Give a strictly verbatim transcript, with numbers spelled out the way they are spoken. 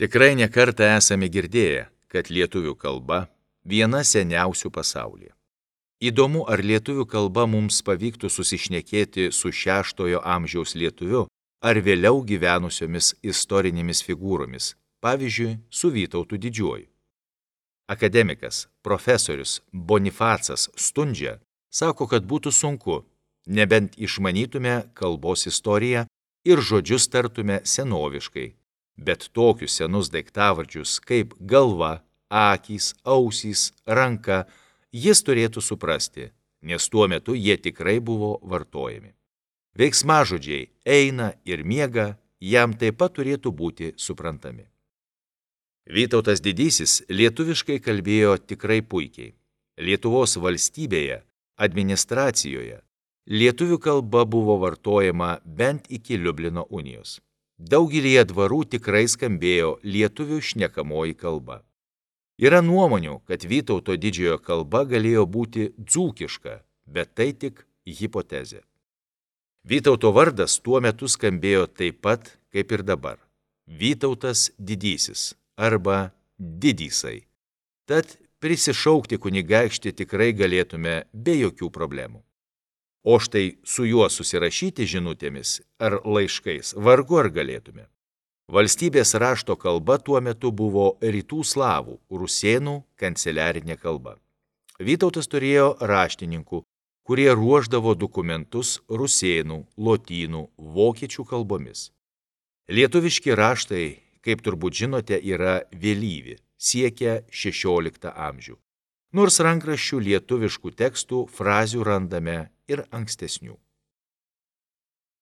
Tikrai nekartą esame girdėję, kad lietuvių kalba viena seniausių pasaulyje. Įdomu, ar lietuvių kalba mums pavyktų susišnekėti su šeštojo amžiaus lietuviu ar vėliau gyvenusiomis istorinėmis figūromis, pavyzdžiui, su Vytautu Didžiuoju. Akademikas, profesorius Bonifacas Stundžia sako, kad būtų sunku, nebent išmanytume kalbos istoriją ir žodžius tartume senoviškai, bet tokius senus daiktavardžius kaip galva, akys, ausys, ranka jis turėtų suprasti, nes tuo metu jie tikrai buvo vartojami. Veiksmažodžiai eina ir miega jam taip pat turėtų būti suprantami. Vytautas Didysis lietuviškai kalbėjo tikrai puikiai. Lietuvos valstybėje, administracijoje, lietuvių kalba buvo vartojama bent iki Liublino unijos. Daugelyje dvarų tikrai skambėjo lietuvių šnekamoji kalba. Yra nuomonių, kad Vytauto Didžiojo kalba galėjo būti dzūkiška, bet tai tik hipotezė. Vytauto vardas tuo metu skambėjo taip pat, kaip ir dabar – Vytautas Didysis arba Didysai. Tad prisišaukti kunigaikštį tikrai galėtume be jokių problemų. O štai su juo susirašyti žinutėmis ar laiškais vargu ar galėtume. Valstybės rašto kalba tuo metu buvo rytų slavų, rusėnų kanceliarinė kalba. Vytautas turėjo raštininkų, kurie ruošdavo dokumentus rusėnų, lotynų, vokiečių kalbomis. Lietuviški raštai, kaip turbūt žinote, yra vėlyvi, siekia šešioliktą amžių. Nors rankraščių lietuviškų tekstų frazių randame ir ankstesnių.